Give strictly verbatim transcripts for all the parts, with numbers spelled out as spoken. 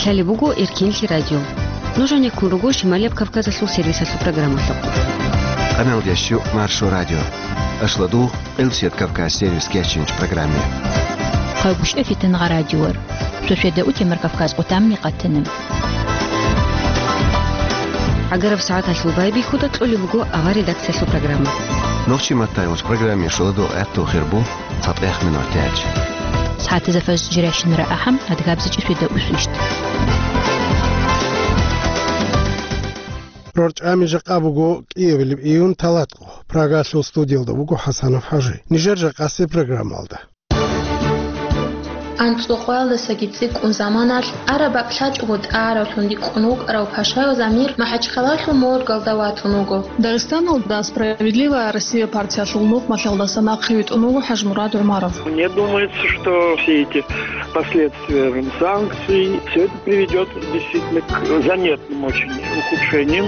Гьале буго Эркинлъи радио. Нуж гьанеккун руго Шималияб Кавказалъул сервисалъул программалъухъ. Къамелдящу Маршо радио. Ашладу Къилсият Кавказ сервис кечинч программе. Хъайгущ эфитан гъа радиор. Сосведа утемар Кавказ къутамни къатана. Агараб сагӀаталъул байбихьуда кьолеб буго авар редакциялъул программа. Нохчи маттайгъуч программе шуладу гӀатту хирбу. ЦатӀех минутач. СагӀатазда фаз жиращинара ахӀам, адгабзичӀи суда усвищт. РорчӀами жакъа буго кӀиабилеб июнь талатго. Прагалъул студиялда вуго ХӀасанов ХӀажи. Нижер жакъасе программалда. АнцӀукъоялдасаги цӀикӀкӀун заманалъ, араб бакӀ лъачӀого тӀаравлъун рикӀкӀун вукӀарав Пашаял Замир МахӀачхъалалъул моргалда ватун вуго. Дагъистаналда «Справедливая Россия» партиялъул нухмалъалдаса нахъе витӀун вуго ХӀажмурад ГӀумаров. Мне думается, что все эти последствия санкций, все это приведет действительно к заметным очень ухудшениям.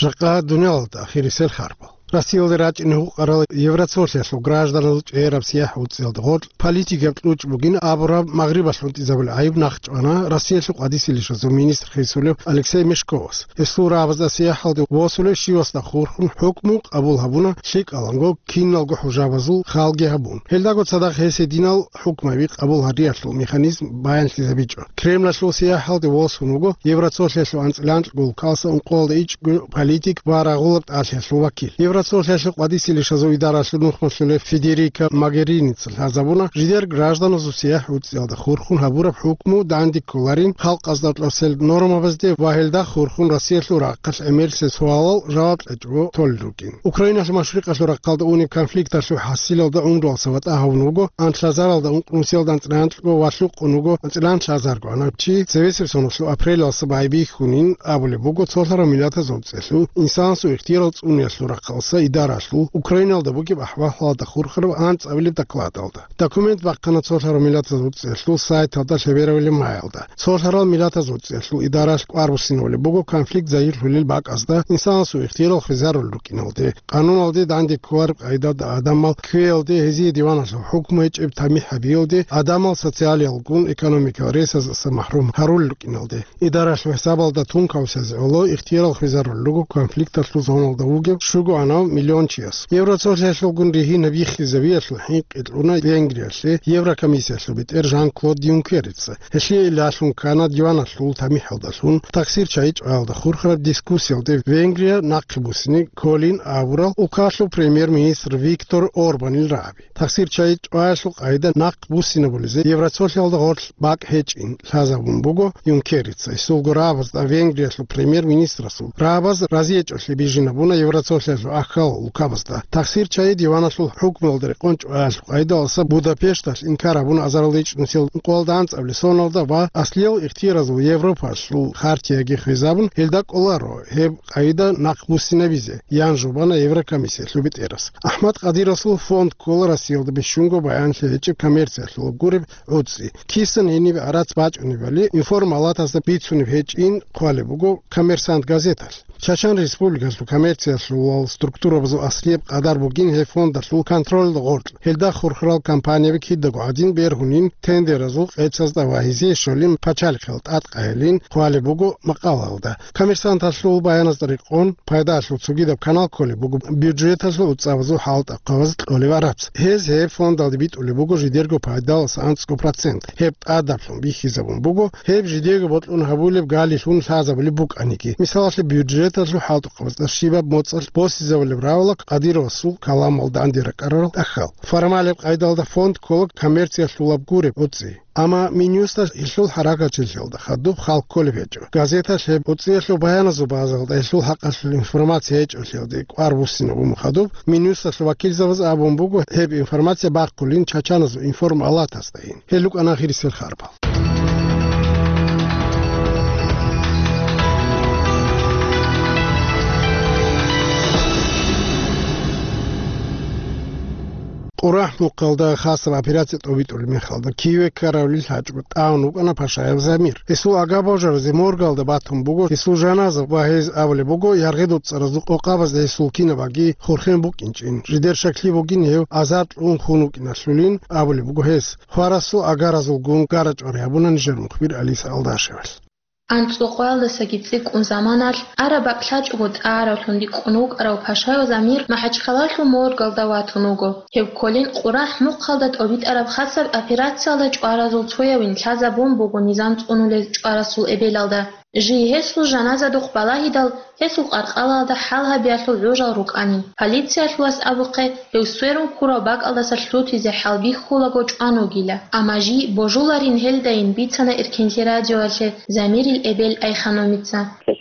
Жакъа дуниялалда ахирисел харбал. Россиялде рачӀине гьукъарал Евросоюзалъул гражданазул чӀегӀераб сияхӀ уцӀцӀиялда гъоркь политикияб кьучӀ бугин абураб Магърибалъ унтӀизабулеб гӀайиб нахъчӀвана Россиялъул къвадисеб лишазул министр хисулев Алексей Мешковас. Гьесул рагӀабазда сияхӀалде восулев щивасда хурхун хӀукму къабул гьабуна, лъикӀаланго киналго хӀужабазул халги гьабун. Гьелдаго цадахъ гьес гьединал хӀукмаби къабул гьариялъул механизм баянлъизабичӀо. Кремлалъул сияхӀалде восун вуго Евросоюзалъул анцӀила анкьго улкалса ункъоялда ичӀго политик ва рагъулаб тӀалъиялъул вакил. Евросоюзалъул къвадисеб лишазул идаралъул нухмалъулев Федерика Могерини лъазабуна, жидер гражданазул сияхӀ уцӀцӀиялда хурхун гьабураб хӀукму данде кколарин халкъазда кьосел нормабазде ва гьелда хурхун Россиялъул рахъалъ гӀемерисел суалал жаваб кьечӀого толел рукӀин. Украиналъул машрикъалъул рахъалда унеб конфликталъул хӀасилалда унралса ватӀа гьавун вуго анлъазаралда ункънусиялда анцӀила анкьго ва лъукъун вуго анцӀила анлъазарго анаб чи цевесеб соналъул апрелалса байбихьунин абулеб буго Цолъарав Миллатазул ЦӀелъул инсанасул ихтиярал цӀуниялъул рахъалса идаралъул Украиналда бугеб ахӀвалалда хурхараб анцӀабилеб докладалда. Документ бахъана Цолъарал Миллатазул ЦӀелъул сайталда лъеберабилеб майалда. Цолъарал Миллатазул ЦӀелъул идаралъ кӀвар буссинабулеб буго конфликт загьирлъулел бакӀазда инсанасул ихтиярал хвезарулел рукӀиналде, къануналде данде кколареб къагӀидалда адамал кквеялде, гьезие диваналъул хӀукму гьечӀеб тамихӀ гьабиялде, адамал социалиялгун экономикал ресаздаса махрум гьарулел рукӀиналде. Идаралъул хӀисабалда тункаусез гӀоло ихтиярал хвезарулел руго конфликталъул зоналда вугев щуго анав миллион чияс. Евросоюзалъулгун ригьинаб биххизабиялъул хӀинкъи кьуна Венгриялъе Еврокомиссиялъул бетӀер Жан-Клод Юнкерица. Гьелъие илалъун ккана диваналъул тамихӀалдалъун тахсир чагӀи чӀваялда хурхараб дискуссиялде Венгрия нахъе буссине кколин абурал улкалъул премьер-министр Виктор Орбанил рагӀаби. Тахсир чагӀи чӀваялъул къагӀида нахъ буссинабулезе Евросоюзалда гъорлъ бакӀ гьечӀин лъазабун буго Юнкерица. Гьесулго рагӀабазда Венгриялъул премьер-министрасул рагӀабаз разиячӀолъи бижинабуна Евросоюзалъул ахьал улкабазда. Тахсир чагӀи диваналъул хӀукмуялда рекъон чӀваялъул къагӀидалдаса Будапешталъ инкар гьабуна азарилда ичӀнусиял ункъоялда анцӀабилеб соналда ва аслиял ихтияразул Европалъул хартияги хвезабун, гьелда кӀоларо гьеб къагӀида нахъ буссинабизе, ян жубана Еврокомиссиялъул бетӀерас. АхӀмад Къадировасул фонд ккола Россиялда бищунго баянлъи гьечӀеб коммерциялъулаб гуреб гӀуцӀи. Кисан гьениб гӀарац бачӀунебали информалатазда бицунеб гьечӀин хъвалеб буго «Коммерсант» газеталъ. Чачан Республикалъул коммерциялъулал структурабазул аслияб къадар бугин гьеб фондалъул контролалда гъоркь. Гьелда хурхарал компанияби кидаго гӀадин бергьунин тендеразул къецазда ва гьезие щолин пачалихъал тӀадкъаялин хъвалеб буго макъалаялда. «Коммерсанталъул» баяназда рекъон, пайдалъул цогидаб канал кколеб буго бюджеталъул уцӀабазул хӀалтӀухъабаз кьолеб гӀарац. Гьез гьеб фондалде битӀулеб буго жидерго пайдаласа анцӀго процент. Гьеб тӀадаблъун бихьизабун буго, гьеб жидеего бокьун гьабулеб галилъун лъазабулеб букӀаниги. Мисалалъе, бюджеталъул хӀалтӀухъабазда щибаб моцӀалъ босизабулеб равала Къадировасул каламалда данде ракӀарарал тӀахьал. Формалеб къайдалда фонд ккола коммерциялъулаб гуреб гӀуцӀи. Амма Минюсталъ гьелъул хӀаракатчилъиялда хадуб хал кколеб гьечӀо. Газеталъ гьеб гӀуцӀиялъул баяназул базалда гьелъул хӀакъалъулъ информация гьечӀолъиялде кӀвар буссинабун хадуб, Минюсталъул вакилзабаз абун буго гьеб информация бахъулин чачаназул информалатасдайин. Гьел рукӀана ахирисел харбал. КъурахӀмухъалда хасаб операция тӀобитӀулеб мехалда Киеве ккаравлил гьачӀго тӀамун вукӀана Пашаев Замир. Гьесул агабожаразе моргалда батун буго гьесул жаназа ва гьез абулеб буго, яргъи доцӀаразул къокъабазда гьесул кинабаги хурхен букӀинчӀин, жидер щаклъи бугин гьев азар кьун хун вукӀиналъулин абулеб буго гьес. Хварасул агаразулгун гара-чӀвари гьабуна нижер мухбир Алиса Алдашевалъ. АнцӀукъоялдасаги цӀикӀкӀун заманалъ, араб бакӀ лъачӀого тӀагӀаравлъун рикӀкӀун вукӀарав Пашаев Замир МахӀачхъалалъул моргалда ватун вуго. Гьев кколин КъурахӀмухъалда тӀобитӀараб хасаб операциялда чӀваразул цоявин лъазабун буго низам цӀунулел чӀварасул эбелалда. Жий гьесул жаназадухъ балагьидал, гьесул къаркъалалда хӀал гьабиялъул гӀужал рукӀанин. Полициялъулас абухъе, гьев сверун ккурав бакӀалдаса лъутизе хӀалбихьулаго чӀван вугила. Амма жий божуларин гьелдайин бицана Эркенлъи радиоялъе Замирил эбел Айханумица.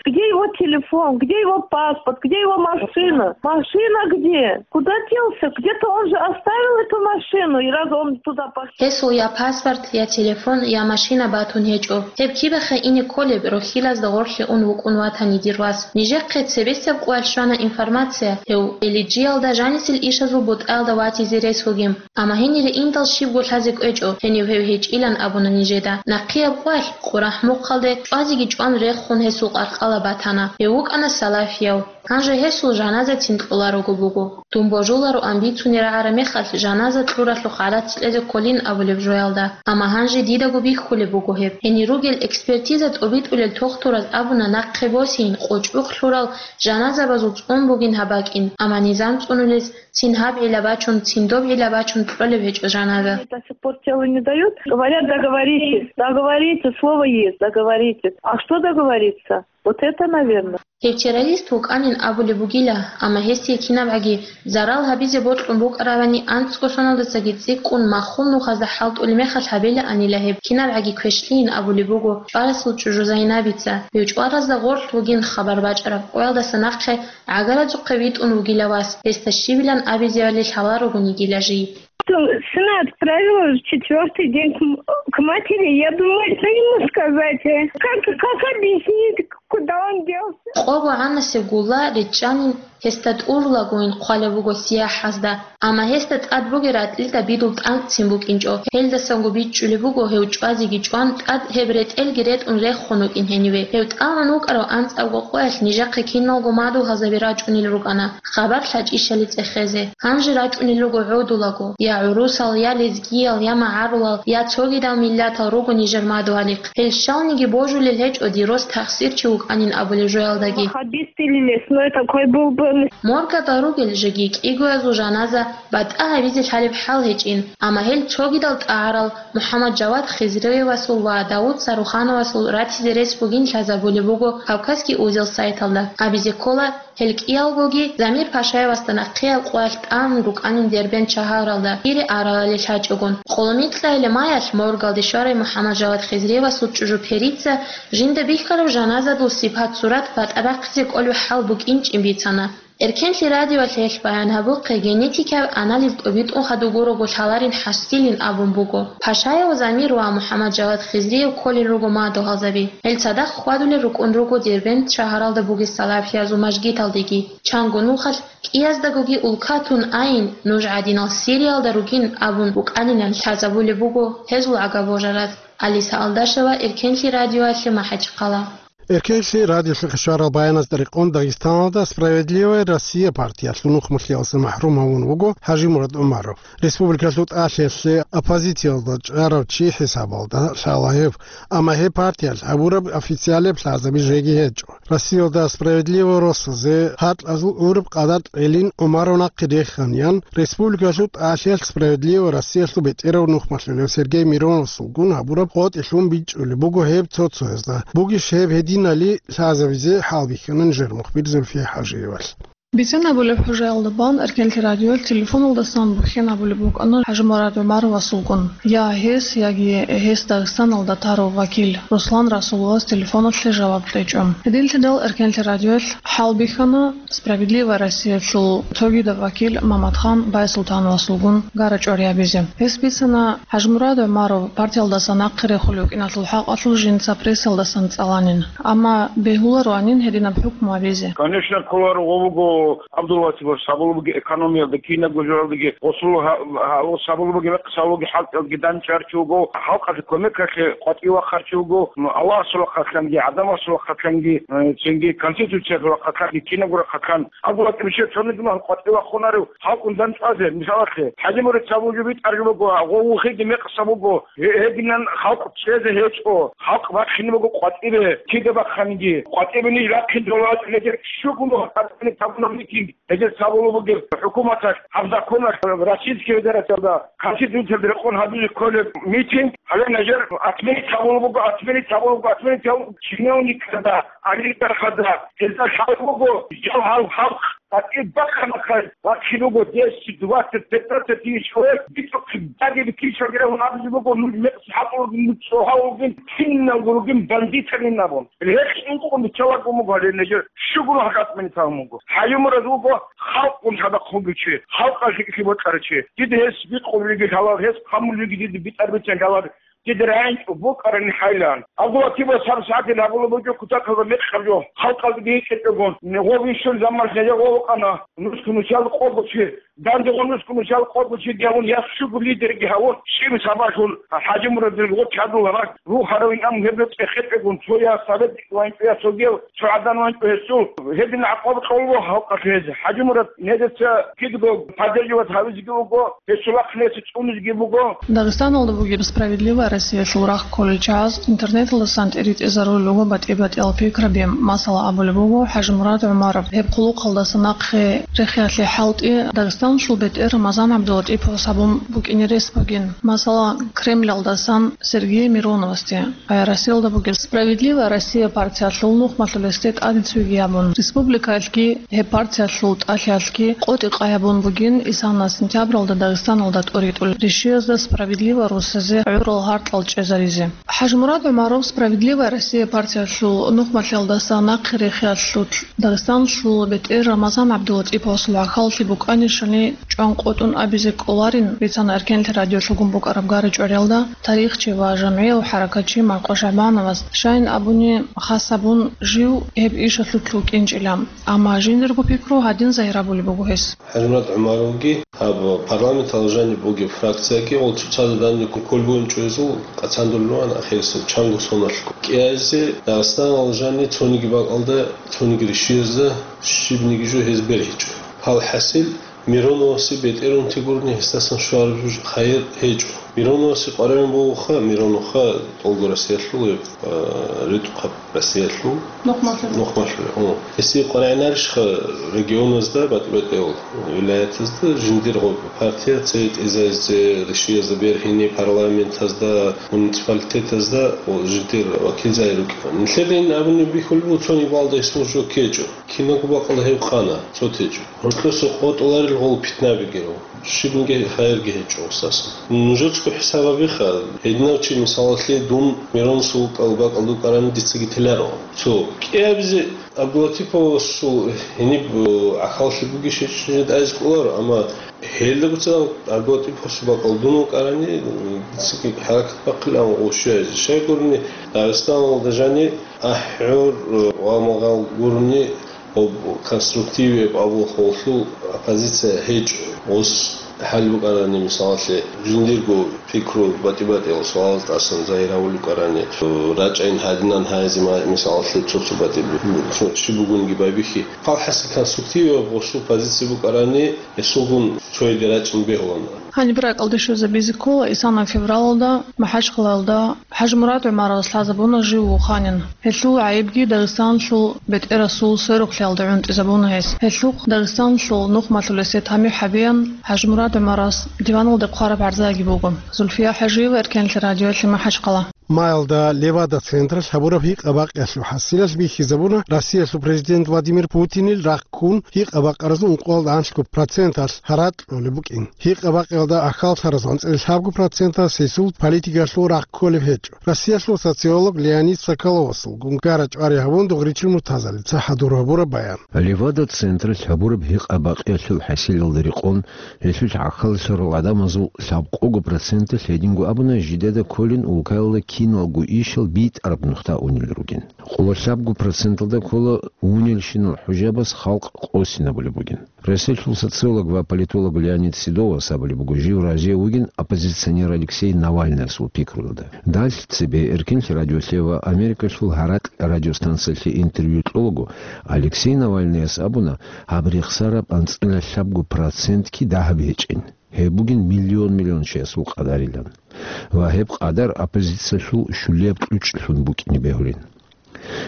Где его телефон? Где его паспорт? Где его машина? Машина где? Куда делся? Где-то он же оставил эту машину, и раз он туда пошёл. Гьесул я паспорт, я телефон, я машина батун гьечӀо. Гьеб кибехъе ине кколеб, рохьилазда гъорлъе ун вукӀун ватани дир вас. Нижехъе цебесеб къоялъ щвана информация, гьев Элиджиялда жанисел ишазул бутӀаялда ватизе рес вугин. Амма гьенире индал щибго лъазе кӀвечӀо, гьенив гьев гьечӀилан абуна нижеда. Нахъияб къоялъ, КъурахӀмухъалде, чӀвазеги чӀван рехун гьесул къаркъала батана. Гьев вукӀана салафияв. Гьанже гьесул жаназацин кьоларого буго. Дун божулароан бицунеб рагӀараб мехалъ жаназа кьуралъухъ гӀарац кьезе кколин абулеб жоялда. Амма гьанже дидаго бихьулеб буго гьеб. Гьенир ругел экспертиза тӀобитӀулел тохтураз абуна нахъе босейин къочӀбухъ лъурал жаназабазул цӀун бугин гьаб бакӀин, амма низам цӀунулез цин гьаб гӀилла бачун, цин доб гӀилла бачун кьолеб гьечӀо жаназа. До сих пор тело не дают. Говорят, договоритесь, договоритесь, слово есть, договоритесь. А что договориться? Вот это, наверное. Гьев террорист вукӀанин абулеб бугила, амма гьесие кинабгӀаги зарал гьабизе бокьун букӀаравани, анцӀго соналдасаги цӀикӀкӀун маххул нухазда хӀалтӀулеб мехалъ гьабилаанила гьеб, кинабгӀаги квешлъийин абулеб буго чӀварасул чӀужу Зайнабица. Гьев чӀваразда гъорлъ вугин хабар бачӀараб къоялдаса нахъе гӀагаразухъе витӀун вугила вас, гьесда щибилан абизевали лъаларогун йигила жий. Сына отправила в четвёртый день к м-, к матери. Я думаю, что ему сказать, э? Как, как объяснить, куда он делся? Къого гӀанасеб гулла риччанин гьесда тӀурулагойин хъвалеб буго сияхӀазда, амма гьесда тӀад бугеб ратӀлида бидул тӀанкӀцин букӀинчӀо. Гьелдасанго бичӀчӀулеб буго гьев чӀвазеги чӀван, тӀад гьеб ретӀелги ретӀун рехун вукӀин гьениве. Гьев тӀамун вукӀарав анцӀабго къоялъ нижехъе киналго мадугьалзаби рачӀунел рукӀана хабар лъачӀищали цӀехезе. Гьанже рачӀунел руго гӀодулаго, я гӀурусал, я лезгиял, я магӀарулал, я цогидал миллатал руго нижер мадугьалихъ. Гьел щалниги божулел гьечӀо дир рос тахсирчи вукӀанин абулеб жоялдаги. Ваххабист или лесной такой был бы. Моргада ругел жеги кӀигоязул жаназа батӀа гьабизе лъалеб хӀал гьечӀин, амма гьел цогидал тӀагӀарал МухӀаммад-Жавад Хизриевасул ва Давуд Сарухановасул ратизе рес бугин лъазабулеб буго Кавказский узел сайталда. Абизе ккола, гьел кӀиялгоги Замир Пашаевасда нахъеяб къоялъ тӀамун рукӀанин Дербент шагьаралда, ире аралали лъачӀогун. Къоло микьайиле маялъ моргалде щварай МухӀаммад-Жавад Хизриевасул чӀужу Перица жинда бихьараб жаназадул сипат-сурат батӀа бахъизе кӀолеб хӀал букӀинчӀин бицана. Эркенлъи радиоялъ гьелъ баян гьабухъе генетикаб анализ тӀобитӀун хадугурого лъаларин хӀасилин абун буго. Пашаев Замир ва МухӀаммад-Жавад Хизриев кколел руго мадугьалзаби. Гьел цадахъ хьвадулел рукӀун руго Дербент шагьаралда бугес салафиязул мажгиталдеги. Чанго нухалъ кӀияздагоги улкатун айин, нуж гӀадинал Сириялда ругин абун букӀанилан лъазабулеб буго гьезул агабожараз. Алиса Алдашева, Эркенлъи радиоялъе, МахӀачхъала. Эркенлъи радиолъухъе щварал баяназда рекъон Дагъистаналда «Справедливая Россия» партиялъул нухмулъиялдаса махӀрум гьавун вуго ХӀажимурад ГӀумаров. Республикалъул тӀалъиялъе оппозициялда чӀарав чи хӀисабалда лъала гьев, амма гьеб партиялъ гьабураб официалияб лъазаби жеги гьечӀо. Россиялда «Справедливая Россиязе» гьаркьазул гӀураб къадар кьелин ГӀумаров нахъе реханиян, республикалъул тӀалъиялъ «Справедливая Россиялъул» бетӀерав нухмалъулев Сергей Мироновасулгун гьабураб къотӀилъун бичӀчӀулеб буго гьеб цо-цоязда. Бугищ гьеб гьединали лъазабизе, хӀалбихьана нижер мухбир Зульфия ХӀажиевалъ. Бицен абулеб хӀужаялда бан Эркенлъи радиоялъ телефоналдасан бухьен абулеб букӀана ХӀажимурад ГӀумаровасулгун. Я гьес, яги гьес Дагъистаналда тарав вакил Руслан Расуловас телефоналъе жаваб кьечӀо. Гьединлъидал Эркенлъи радиоялъ хӀалбихьана «Справедливая Россиялъул» цогидав вакил Маматхан Байсултановасулгун гара-чӀвари гьабизе. Гьес бицана, ХӀажимурад ГӀумаров партиялдаса нахъе рехулев вукӀиналъул хӀакъалъулъ жинца прессалдасан цӀаланин, амма бегьулароанин гьединаб хӀукму гьабизе. Конечно, кколаро гъо буго. Абдулватиба сабулбуги экономиялда, кинабго журалдаги, осул гьа-, гьа-, сабулбуги, мекъсалуги, хӀалтӀиялги данчӀарчи вуго, халкъалъе кумекалъе къватӀив вахъарчи вуго, Аллагьасул вахъалъанги, гӀадамасул вахъалъанги, э, цинги Конституциялъул вахъалъанги, кинабго рахъалъан. Абдулватиба цониги махал къватӀив вахъунарев халкъун данчӀвазе, мисалалъе, ХӀажимурад сабулги битӀарги буго, гъов вухиги мекъса буго, гье-, гьединан халкъ чӀезе гьечӀо, халкъ бахъине буго къватӀибе, кида бахъаниги, къватӀибе ниж бахъин дола гьечӀо, гьедер щугун буго къватӀибе табуна митинг, гьедер сабулеб бугеб хӀукуматалъ, гьаб законалъ, Российский Федерациялда, Конституциялда рекъон гьабизе кколеб митинг, гьале нижер отменить гьабулеб буго, отменить гьабулеб буго, отменить гьабулеб чиновникзда, олигархазда, гьезда лъалеб буго, жал гьал халкъ. ТӀатӀи бахъа-бахъа вахъин вуго десять, двадцать, пятнадцать тысяч человек, битӀухъе баги бикинчӀогерав абизе буго, нуж мекъси хӀакъулгин, нуж цӀогьавулгин, киналго ругин бандитарин абун. Гьеб инкъун биччалаго буго гьале нижер, щугун гьакъатмани тавун буго. ХӀажимурад вуго халкъгун хадахъ вугев чи, халкъалъ рикӀкӀи бокьарав чи. Дида гьес бикъулеб буго лъалар, гьес хъамулеб буго дида битӀараб бицан лъалар. Дида рагӀинчӀо букӀарани хӀайлан. Абдулватиба сабсагӀатил гьабулеб буго кутакалда мекъаб жо. Халкъалдаги гьикъичӀого. Гъов вищун заман лъезе гъов вукӀана. Нусго нусал къого чи. Данде гъо нусго нусал къого чи гьавун я щуго лидерги гьавун. Щиб сабаблъун ХӀажимурадил гъо чадулараг. Рухарав инан гьеб цӀехетӀегун цо я совет ванчӀо я цогияв цо гӀадан ванчӀо гьесул. Гьедин гӀакъуба кьолго халкъалъе гьез. ХӀажимурад нижеца кидго поддерживать гьавизеги вуго, гьесул ахъ нижеца цӀунизеги буго. Дагъистаналда бугеб «Справедливая Россиялъул» рагъ кколел чагӀаз интернеталдасан тӀеритӀезарулел руго батӀи-батӀиял пикраби. Масала, абулеб буго ХӀажимурад ГӀумаров, гьеб хъулухъалдаса нахъе рехиялъе хӀалтӀи Дагъистаналъул бетӀер Рамазан ГӀабдулатӀиповас гьабун букӀине рес бугин. Масала, Кремлалдасан Сергей Мироновасде. Россиялда бугеб «Справедливая Россия» партиялъул нухмалъулесде тӀаде цойги гьабун, республикаялъги гьеб партиялъул тӀалъиялъги къотӀи-къай гьабун бугин исана сентябралда Дагъистаналда тӀоритӀулел ришиязда справедливо руссазе гӀурал гьаркьал чӀезаризе. ХӀажимурад ГӀумаров «Справедливая Россия» партиялъул нухмалъиялдаса нахъе рехиялъулъ Дагъистаналъул бетӀер Рамазан ГӀабдулатӀиповасул гӀахьаллъи букӀанищали чӀван къотӀун абизе кӀоларин, бицана Эркенлъи радиолъулгун букӀараб гара-чӀвариялда тарихчи ва жамгӀияв хӀаракатчи Марко ШагӀбановас. Щайин абуни, хас гьабун жив гьеб ишалъулъ вукӀинчӀила. Амма жиндирго пикру гьадин загьир гьабулеб буго гьес. ХӀажимурад ГӀумаровги гьаб парламенталда жаниб бугеб фракцияги гъол цоцазда данде кколеб бугин чӀезул къацандулел руан ахирисеб чанго соналъго. КӀиазе Дагъистаналда жаниб цониги бакӀалда, цониги ришиязда щибниги жо гьез бергьичӀо. Гьал хӀасил Мироновасе бетӀерунти гурони гьесдасан щвараб жо хайир гьечӀо. Мироновасе къваригӀун бугоха, Мироновха тӀолго Россиялъул, а, ритӀухъаб Россиялъул. Нухмалъур. Нухмалъур, о. Гьесие къваригӀунарищха регионазда, батӀи-батӀиял вилаятазда жиндир гъоб партия цере тӀезаризе, ришиязда бергьине, парламентазда, муниципалитетазда, о, жиндир вакилзаби рукӀина. Нилъеда ин абуни бихьулеб буго, цониги балда гьесул жо ккечӀо. Киналго бакӀалда гьев къана, цо течӀо. Гьоркьоса къотӀуларел гъол питнабигирав. Щибниги хайирги гьечӀо гьесдасан. Нужецаго хӀисаб гьабиха, гьединав чи, мисалалъе, дун Мироносул бакӀалда вукӀарани дицаги теларо. Цо кӀиабизе ГӀабдулатиповасул гьениб, э, гӀахьаллъи бугищ гьечӀищ жинда тӀазе кӀоларо, амма гьелдаго цадахъ ГӀабдулатиповасул бакӀалда дун вукӀарани, э, дицаги хӀаракат бахъилан ва щвезе. Щайгурни, Дагъистаналда жаниб АхӀур, э, ва магъал гурони, гъоб конструктивияб абулхъуллъул оппозиция гьечӀо. Гъос хӀал букӀарани, мисалалъе, жиндирго пикру батӀи-батӀиял суалаз тӀасан загьир гьавулел рукӀарани, рачӀайин гьадинан гьаризе ма-, мисалалъе, цо-цо батӀи бу-, цо чи бугониги байбихьи. Палхаси конструктивияб гъосул позиция букӀарани, гьесулгун цояде рачӀин бегьулаан. Гьаниб ракӀалде щвезабизе ккола, исана февралалда МахӀачхъалаялда ХӀажимурад ГӀумаровас лъазабуна жив вуханин. Гьелъул гӀайибги Дагъистаналъул бетӀерасул сверухълъиялда гӀунтӀизабуна гьес. Гьелъухъ Дагъистаналъул нухмалъулесе тамихӀ гьабеян ХӀажимурад ГӀумаровас диваналде хъвараб гӀарзаги буго. Зульфия ХӀажиева, Эркенлъи радиоялъе, МахӀачхъала. Маялда Левада-централъ гьабураб гьикъа-бакъиялъул хӀасилалъ бихьизабуна Россиялъул президент Владимир Путинил рахъ ккун гьикъа-бакъаразул ункъоялда анлъго проценталъ гьаракь кьолеб букӀин. Гьикъа-бакъиялда ахьаллъараз анцӀила лъабго процентас гьесул политикалъул рахъ кколеб гьечӀо. Россиялъул социолог Леонид Соколовасулгун гара-чӀвари гьабун, Дугъричил Муртазалица хӀадур гьабураб баян. Левада-централъ гьабураб гьикъа-бакъиялъул хӀасилалда рекъон, гьелъулъ гӀахьаллъарал гӀадамазул лъабкъого проценталъ, гьединго абуна, жидеда кколин улкаялда киналго ишал битӀараб нухда унел ругин. Къоло лъабго проценталда ккола унелщинал хӀужабаз халкъ къосинабулеб бугин. Россиялъул социолог ва политолог Леонид Седовас абулеб буго, жив разие вугин оппозиционер Алексей Навальныясул пикруялда. Далъ цебе Эркинлъи радиолъе ва Америкалъул гьаракь радиостанциялъе интервью кьолаго, Алексей Навальныяс абуна, гьаб рехсараб анцӀила лъабго процентги дагьаб гьечӀин. Гьеб бугин миллион-миллион чиясул къадарилан. Ва гьеб къадар оппозициялъул щулияб кьучӀлъун букӀине бегьулин.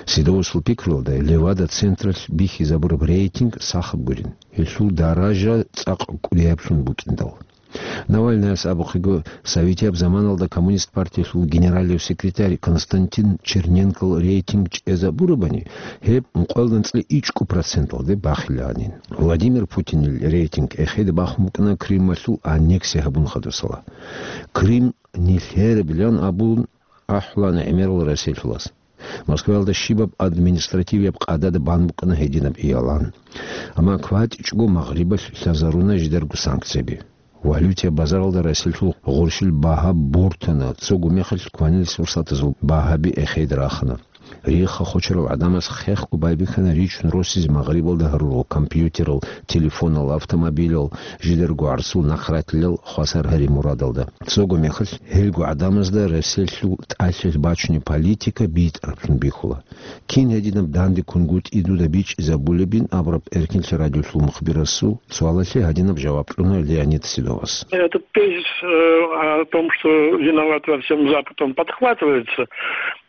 Седовасул пикруялда, Левада-централъ бихьизабураб рейтинг сахаб гурин. Гьелъул даража цӀакъ кӀудияблъун букӀиндал. Навальныяс абухъего, советияб заманалда Коммунист партиялъул генералив секретарь Константин Черненкол рейтинг чӀезабурабани, гьеб ункъоялда анцӀила ичӀго проценталде бахилаанин. Владимир Путинил рейтинг эхеде бахун букӀана Крымалъул аннексия гьабун хадусала. Крым нилъерабилан абун ахӀулана гӀемерал Россиялъулас. Москваялда щибаб административияб къадада бан букӀана гьединаб иялан. Амма кватӀичӀого Магърибалъ лъазаруна жидерго санкцияби. Валютияб базаралда Россиялъул гъурщил багьа бортана, цого мехалъ кванилис фурсатазул багьаби эхеде рахана. Рихха хочарал гӀадамаз хехго байбихьана ричун росизе Магърибалда гьарурал компьютерал, телефонал, автомобилал, жидерго гӀарцул нахъратилал хвасар гьари мурадалда. Цого мехалъ гьелго гӀадамазда Россиялъул тӀалъилъ бачунеб политика битӀараблъун бихьула. Кин гьединаб данде кунгутӀи дуда бичӀчӀизабулебин абураб Эркинлъи радиолъул мухбирасул суалалъе гьадинаб жаваб кьуна Леонид Седовас. Этот тезис э, о том, что виноват во всем Запад, он подхватывается.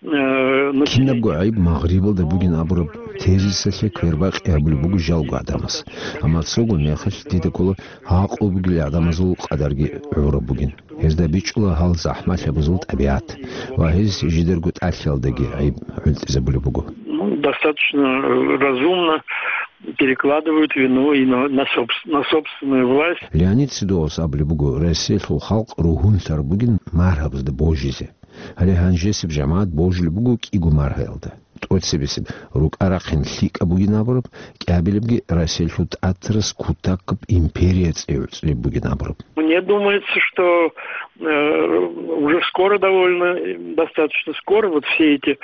Э, но Кинабго гӀайиб Магърибалда бугин абураб тезисалъе квербакъи гьабулеб буго жалго гӀадамаз. Амма цого мехалъ дида ккола гьакъу бугел гӀадамазул къадарги гӀураб бугин. Гьезда бичӀчӀула гьал захӀмалъабазул тӀабигӀат ва гьез жидерго тӀалъиялдаги гӀайиб гӀунтӀизабулеб буго. Ну, достаточно э, разумно перекладывают вину и на, на, собс- на собственную власть. Леонид Седовас абулеб буго, Россиялъул халкъ ругьунлъараб бугин маргьабазда божизе. Гьале гьанжесеб жамагӀат божулеб буго кӀиго маргьаялда. ТӀоцебесеб рукӀа-рахъин лъикӀаб бугин абураб, кӀиабилебги Россиялъул тӀатарас кутакаб империя цӀи гӀуцӀулеб бугин абураб. Мне думается, что э, уже скоро довольно, достаточно скоро вот все эти...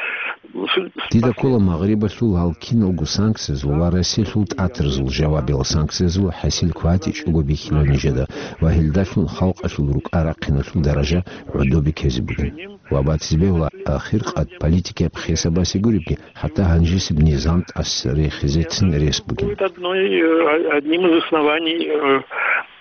Дида ккола Магърибалъул гьал киналго санкциязул ва Россиялъул тӀатарзул жавабиял санкциязул хӀасил кватӀичӀого бихьила нижеда ва гьелдалъун халкъалъул рукӀа-рахъиналъул даража гӀодобе ккезе бугин. Ва батизе бегьула ахиркъад политикияб хесабасе гуребги, хӀатта гьанжесеб низам тӀаса рехизецин рес бугин. Будет одной, э, одним из оснований, э,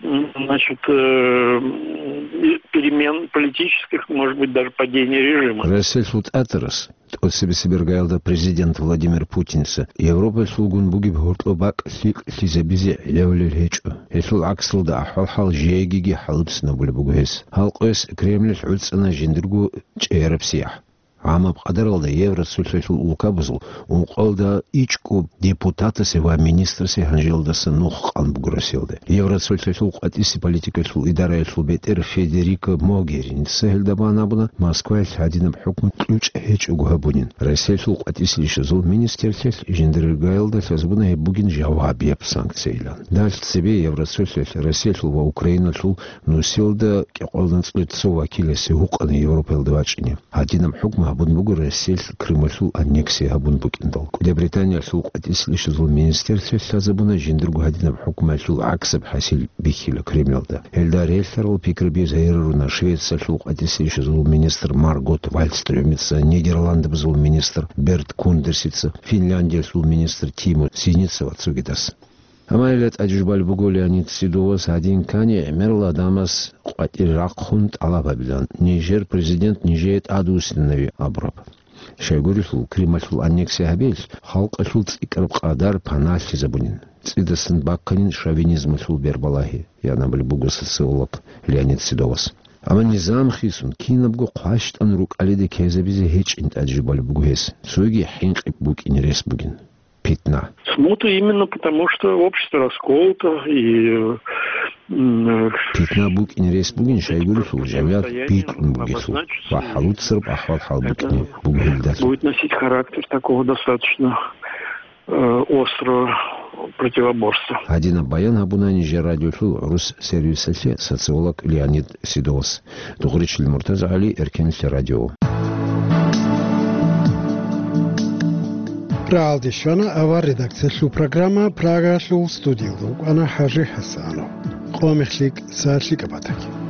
м, значит, э, м, перемен политических, может быть, даже падения режима. Россиялъул тӀатарас тӀоцебесеб иргаялда президент Владимир Путинца Европалъулгун бугеб гьоркьоб бакӀ лъикӀлъизабизе гӀелавулел гьечӀо. Гьелъул гӀаксалда ахӀвал-хӀал жегиги хӀалбцинабулеб буго гьес. Гьал къояс Кремлалъ гӀуцӀана жиндирго чӀегӀераб сияхӀ. ГӀамаб къадаралда Евроцолъалъул улкабазул ункъоялда ичӀго депутатасе ва министрасе гьанжелдаса нух къан буго Россиялда. Евроцолъалъул къватӀиси политикалъул идараялъул бетӀер Федерико Могерини цегьелда бан абуна, Москваялъ гьадинаб хӀукму кьучӀ гьечӀого гьабунин. Россиялъул къватӀиси ишазул министрлъиялъ жиндиргаялда лъазабуна гьеб бугин жавабияб санкциялан. Далъ цебе Евроцолъалъ Россиялъул ва Украиналъул нусиялда кӀикъоялда анцӀила цо вакиласе гьукъана Европаялда вачӀине. Гьадинаб хӀукму гьабун буго Россиялъ Крымалъул аннексия гьабун букӀиндал. КӀуди Британиялъул къватӀиси ишазул министрлъиялъ лъазабуна жиндирго гьадинаб хӀукмуялъул гӀаксаб хӀасил бихьила Кремлалда. Гьелда релълъарал пикраби загьируна Швециялъул къватӀиси ишазул министр Маргот Вальстрёмица, Нидерландабазул министр Берт Кундерсица, Финляндиялъул министр Тимо Синица ва цогидас. Амма гьелда тӀаде жубалеб буго Леонид Седовас, гьадин ккани гӀемерал гӀадамаз къватӀир рахъун тӀалаб гьабилан, нижер президент нижее тӀадвуссинави абураб. Щайгурелъул, Крымалъул аннексия гьабиялъ халкъалъул цӀикӀкӀараб къадар паналъизабунин, цӀидасан бакканин шовинизмалъул бербалагьи, ян абулеб буго социолог Леонид Седовас. Амма низам хисун, кинабго хъващтӀан рукӀалиде ккезабизе гьечӀин тӀаде жубалеб буго гьес, цоги хӀинкъи букӀине рес бугин. Питна. Смута именно потому, что общество расколото и м, Питна букӀине рес бугин, щайгурелъул жамигӀат битӀун бугелъул ва хӀалуцараб ахӀвал-хӀал букӀине буго гьелдалъун. Будет носить характер такого достаточно э, острого противоборства. Гьадинаб баян гьабуна нижер радиолъул гӀурус сервисалъе социолог Леонид Седовас. Дугъричил МуртазагӀали, Эркенлъи радио. Рагьалде щвана авар редакциялъул программа, Прагаялъул студиялда вукӀана ХӀажи ХӀасанов. Къо мехлъи кӀиса лъикӀаб батаги.